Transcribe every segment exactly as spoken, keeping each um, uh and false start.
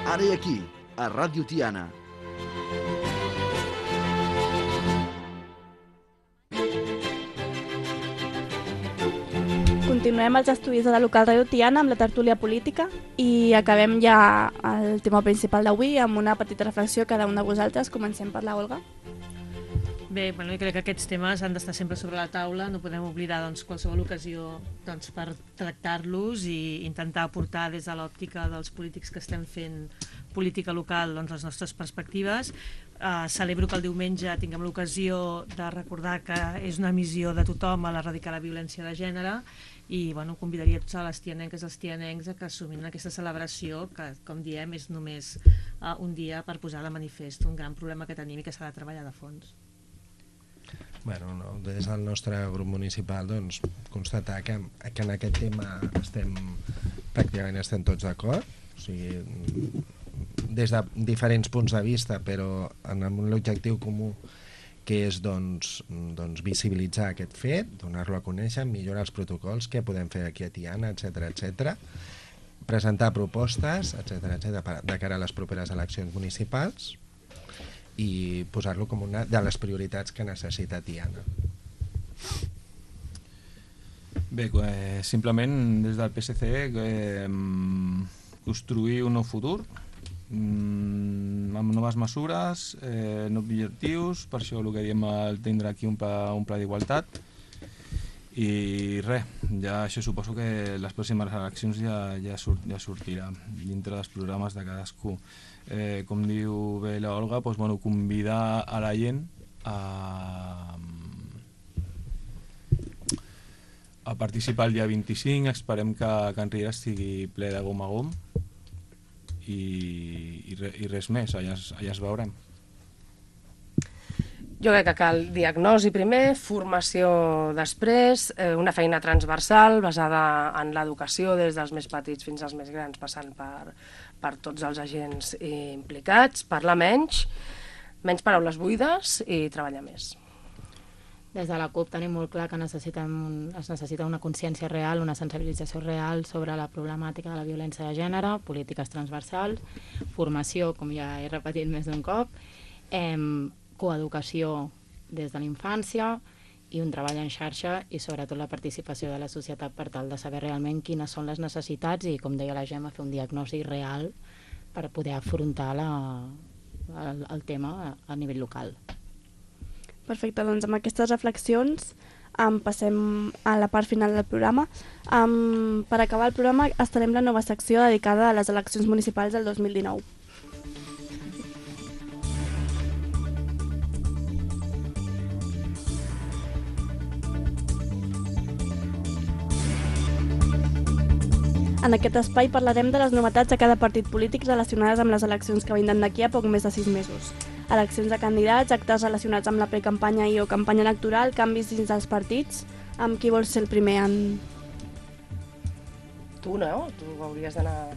Ara i aquí, a Ràdio Tiana. Continuem els estudis de la local Ràdio Tiana amb la tertúlia política i acabem ja el tema principal d'avui amb una petita reflexió cada un de vosaltres. Comencem per la Olga. Bé, bueno, jo crec que aquests temes han d'estar sempre sobre la taula, no podem oblidar doncs, qualsevol ocasió doncs, per tractar-los i intentar aportar des de l'òptica dels polítics que estem fent política local doncs, les nostres perspectives. Uh, celebro que el diumenge tinguem l'ocasió de recordar que és una missió de tothom a l'erradicar la violència de gènere i bueno, convidaria tots a les tianenques i els tianencs a que assumin aquesta celebració que, com diem, és només uh, un dia per posar de manifest un gran problema que tenim i que s'ha de treballar de fons. Bueno, no, des del nostre grup municipal doncs, constatar que, que en aquest tema estem, pràcticament estem tots d'acord, o sigui, des de diferents punts de vista, però amb l'objectiu comú que és doncs, doncs, visibilitzar aquest fet, donar-lo a conèixer, millorar els protocols, què podem fer aquí a Tiana, etcètera, etcètera, presentar propostes, etcètera, etcètera, de cara a les properes eleccions municipals i posar-lo com una de les prioritats que necessita Tiana. Bé, eh, simplement des del P S C eh, construir un nou futur mm, amb noves mesures, eh, nous objectius, per això el que diem el tindre aquí un pla, un pla d'igualtat i res, ja això suposo que les pròximes eleccions ja, ja, surt, ja sortirà dintre dels programes de cadascú. Eh, com diu bé l'Olga, doncs, bueno, convidar a la gent a, a participar el dia vint-i-cinc, esperem que Can Riera estigui ple de gom a gom i, i, re, i res més, allà, allà es veurem. Jo crec que cal diagnosi primer, formació després, eh, una feina transversal basada en l'educació des dels més petits fins als més grans, passant per, per tots els agents implicats, parlar menys, menys paraules buides i treballar més. Des de la CUP tenim molt clar que necessitem un, es necessita una consciència real, una sensibilització real sobre la problemàtica de la violència de gènere, polítiques transversals, formació, com ja he repetit més d'un cop, eh, coeducació des de la infància i un treball en xarxa i sobretot la participació de la societat per tal de saber realment quines són les necessitats i, com deia la Gemma, fer un diagnòstic real per poder afrontar la, el, el tema a, a nivell local. Perfecte, doncs amb aquestes reflexions um, passem a la part final del programa. Um, per acabar el programa estarem la nova secció dedicada a les eleccions municipals del dos mil dinou. En aquest espai parlarem de les novetats de cada partit polític relacionades amb les eleccions que vindran d'aquí a poc més de sis mesos. Eleccions de candidats, actes relacionats amb la precampanya i o campanya electoral, canvis dins dels partits. Amb qui vols ser el primer en...? Tu, no? Tu hauries d'anar...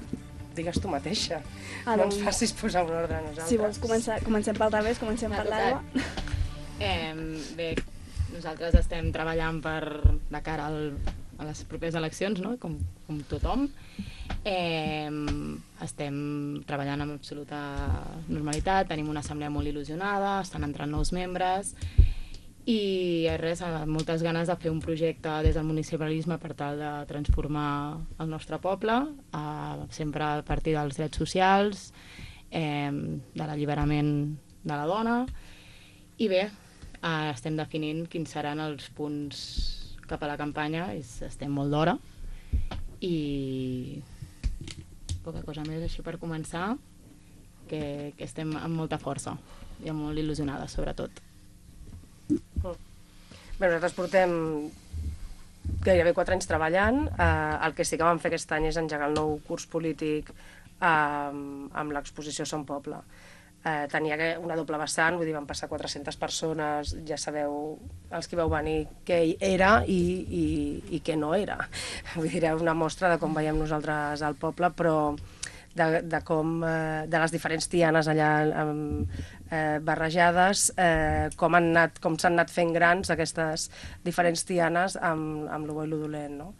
Digues tu mateixa. Ah, no doncs... ens facis posar un ordre a nosaltres. Si vols, començar, comencem pel revés, comencem per l'Alba. Eh, bé, nosaltres estem treballant per de cara al... a les properes eleccions, no? com, com tothom. Eh, estem treballant amb absoluta normalitat, tenim una assemblea molt il·lusionada, estan entrant nous membres i res, moltes ganes de fer un projecte des del municipalisme per tal de transformar el nostre poble, eh, sempre a partir dels drets socials, eh, de l'alliberament de la dona i bé, eh, estem definint quins seran els punts cap a la campanya, és, estem molt d'hora i poca cosa més així per començar, que, que estem amb molta força i molt il·lusionades sobretot. Bé, nosaltres portem gairebé quatre anys treballant, eh, el que sí que vam fer aquest any és engegar el nou curs polític eh, amb l'exposició Som Poble. Eh, tenia una doble vessant, vull dir, van passar quatre-centes persones, ja sabeu, els que vau venir, què era i, i, i què no era. Vull dir, una mostra de com veiem nosaltres al poble, però de, de com, eh, de les diferents tianes allà eh, barrejades, eh, com han anat, com s'han anat fent grans aquestes diferents tianes amb, amb lo bo i lo dolent, no?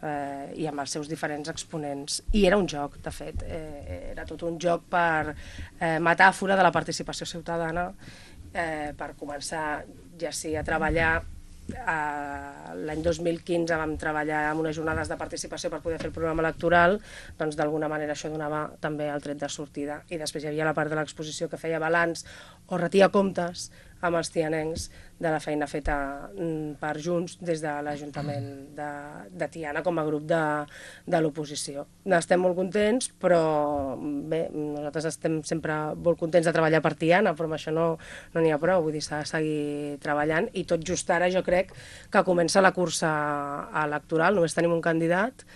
eh, i amb els seus diferents exponents. I era un joc, de fet, eh, era tot un joc per eh, metàfora de la participació ciutadana, eh, per començar ja sí a treballar. Uh, l'any dos mil quinze vam treballar amb unes jornades de participació per poder fer el programa electoral, doncs d'alguna manera això donava també el tret de sortida. I després hi havia la part de l'exposició que feia balanç o retia comptes amb els tianencs de la feina feta mm, per Junts des de l'Ajuntament de, de Tiana com a grup de, de l'oposició. Estem molt contents, però bé, nosaltres estem sempre molt contents de treballar per Tiana, però amb això no n'hi no ha prou, vull dir, s'ha de seguir treballant, i tot just ara jo crec que comença la cursa electoral, només tenim un candidat,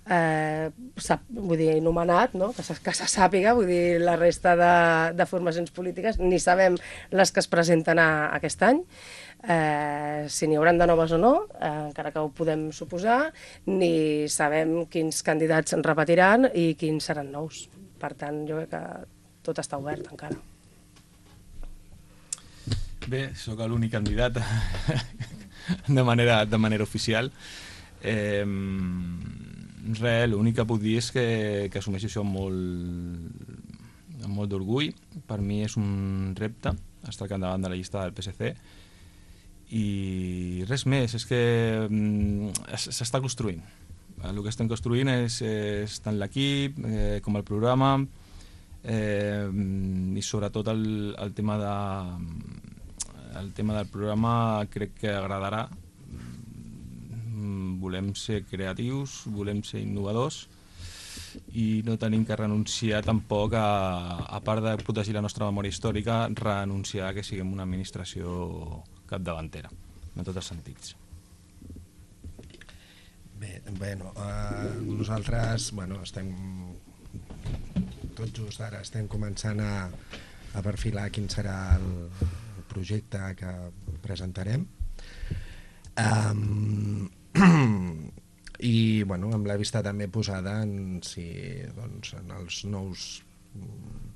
Eh, sap, vull dir, nomenat, no? que, se, que se sàpiga, vull dir, la resta de, de formacions polítiques, ni sabem les que es presenten a, aquest any, eh, si n'hi hauran de noves o no, eh, encara que ho podem suposar, ni sabem quins candidats en repetiran i quins seran nous. Per tant, jo crec que tot està obert encara. Bé, sóc l'únic candidat de manera, de manera oficial. Eh, res, l'únic que puc dir és que, que assumeixo això amb molt, amb molt d'orgull. Per mi és un repte estar al capdavant de la llista del P S C i res més, és que s'està construint. El que estem construint és, és tant l'equip eh, com el programa, eh, i sobretot el, el tema de el tema del programa crec que agradarà. Volem ser creatius, volem ser innovadors i no tenim que renunciar tampoc a, a part de protegir la nostra memòria històrica, renunciar a que siguem una administració capdavantera, en tots els sentits. Bé, bueno, eh, nosaltres bueno, estem tot just ara estem començant a, a perfilar quin serà el, el projecte que presentarem. Um, i bueno, amb la vista també posada en si doncs, en els nous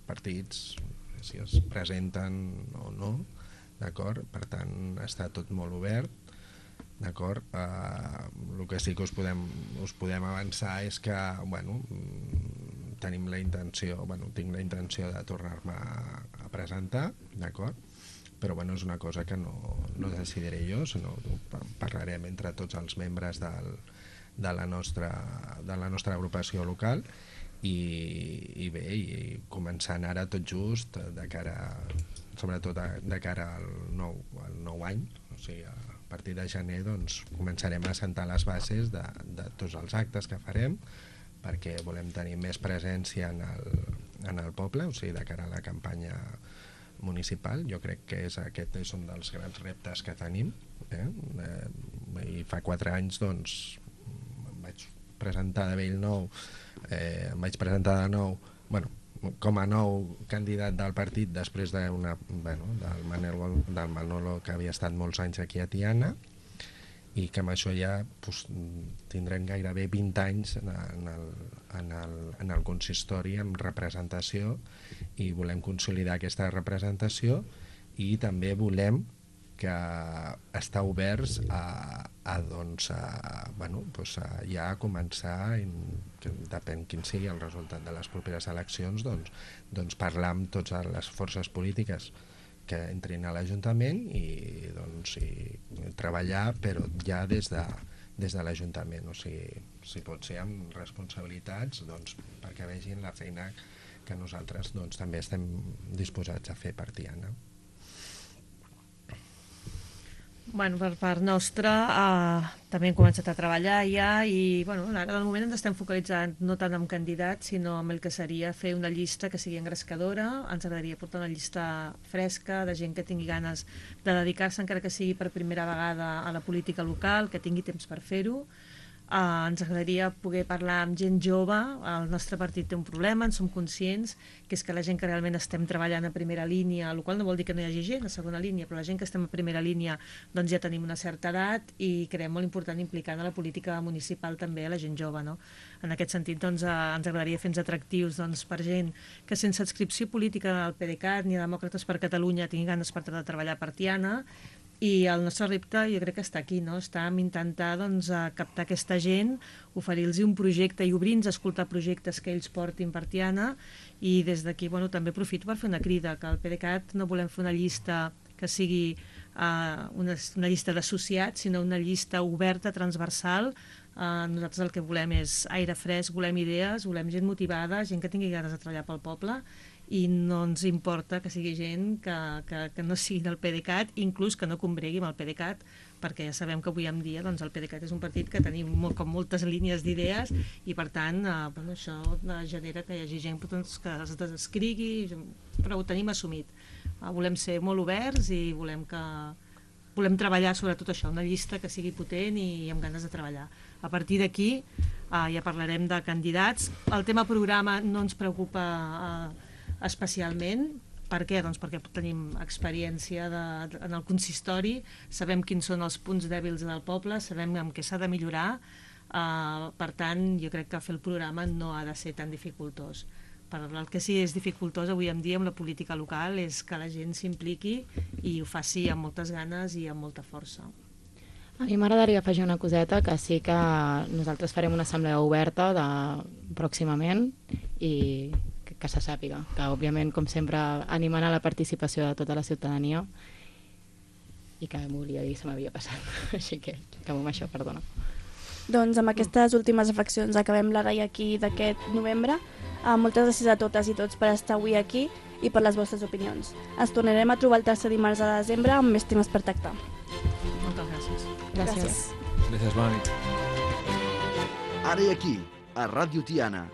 partits si es presenten o no, d'acord? Per tant està tot molt obert, d'acord? Uh, el que sí que us podem, us podem avançar és que bueno, tenim la intenció, bueno, tinc la intenció de tornar-me a, a presentar, d'acord? Però bueno, és una cosa que no, no decidiré jo, sinó que parlarem entre tots els membres del, de, la nostra, de la nostra agrupació local i, i bé, i començant ara tot just de cara, sobretot de cara al nou, al nou any, o sigui, a partir de gener doncs, començarem a assentar les bases de, de tots els actes que farem, perquè volem tenir més presència en el, en el poble, o sigui, de cara a la campanya municipal. Jo crec que és, aquest és un dels grans reptes que tenim, eh? Eh, i fa quatre anys doncs em vaig presentar de bell nou, eh, em vaig presentar de nou, bueno, com a nou candidat del partit després de una, bueno, del, Manolo, del Manolo, que havia estat molts anys aquí a Tiana, i que amb això ja pues, tindrem gairebé vint anys en el, en, el, en el consistori amb representació, i volem consolidar aquesta representació i també volem que estar oberts a, a, doncs, a, bueno, doncs a ja començar, en, que depèn quin sigui el resultat de les properes eleccions, doncs, doncs parlar amb totes les forces polítiques que entrin a l'Ajuntament i, doncs, i treballar, però ja des de, des de l'Ajuntament, o sigui, si pot ser amb responsabilitats, doncs, perquè vegin la feina que nosaltres doncs, també estem disposats a fer per Tiana. Bueno, per part nostra eh, també hem començat a treballar ja i bueno, ara de moment ens estem focalitzant no tant en candidats sinó en el que seria fer una llista que sigui engrescadora. Ens agradaria portar una llista fresca de gent que tingui ganes de dedicar-se encara que sigui per primera vegada a la política local, que tingui temps per fer-ho. Uh, ens agradaria poder parlar amb gent jove. El nostre partit té un problema, en som conscients, que és que la gent que realment estem treballant a primera línia, el qual no vol dir que no hi hagi gent a segona línia, però la gent que estem a primera línia doncs ja tenim una certa edat i creiem molt important implicar en la política municipal també a la gent jove, no? En aquest sentit doncs, uh, ens agradaria fer-nos atractius doncs, per gent que sense adscripció política al PDeCAT ni a Demòcrates per Catalunya tingui ganes per de treballar per Tiana i el nostre repte jo crec que està aquí, no? Està en intentar doncs, captar aquesta gent, oferir-los un projecte i obrir-nos a escoltar projectes que ells portin per Tiana, i des d'aquí bueno, també aprofito per fer una crida, que al PDeCAT no volem fer una llista que sigui uh, una, una llista d'associats, sinó una llista oberta, transversal. Uh, nosaltres el que volem és aire fresc, volem idees, volem gent motivada, gent que tingui ganes de treballar pel poble, i no ens importa que sigui gent que, que, que no sigui del PDeCAT, inclús que no combregui amb el PDeCAT, perquè ja sabem que avui en dia doncs, el PDeCAT és un partit que tenim molt, com moltes línies d'idees, i per tant eh, bueno, això genera que hi hagi gent doncs, que es desescrigui, però ho tenim assumit. Eh, volem ser molt oberts i volem que volem treballar sobre tot això, una llista que sigui potent i amb ganes de treballar. A partir d'aquí eh, ja parlarem de candidats. El tema programa no ens preocupa eh, especialment. Per què? Doncs perquè tenim experiència de, de, en el consistori, sabem quins són els punts dèbils del poble, sabem en què s'ha de millorar, uh, per tant, jo crec que fer el programa no ha de ser tan dificultós. Per el que sí és dificultós avui en dia amb la política local és que la gent s'impliqui i ho faci amb moltes ganes i amb molta força. A mi m'agradaria afegir una coseta, que sí que nosaltres farem una assemblea oberta de, pròximament, i que se sàpiga, que òbviament, com sempre, animant a la participació de tota la ciutadania, i que m'ho volia dir, se m'havia passat, així que acabo amb això, perdona. Doncs amb aquestes últimes reflexions acabem la Rai aquí d'aquest novembre. Uh, moltes gràcies a totes i tots per estar avui aquí i per les vostres opinions. Ens tornarem a trobar el tercer dimarts de desembre amb més temes per tractar. Moltes gràcies. Gràcies. Gràcies, bona nit. Ara i aquí, a Ràdio Tiana.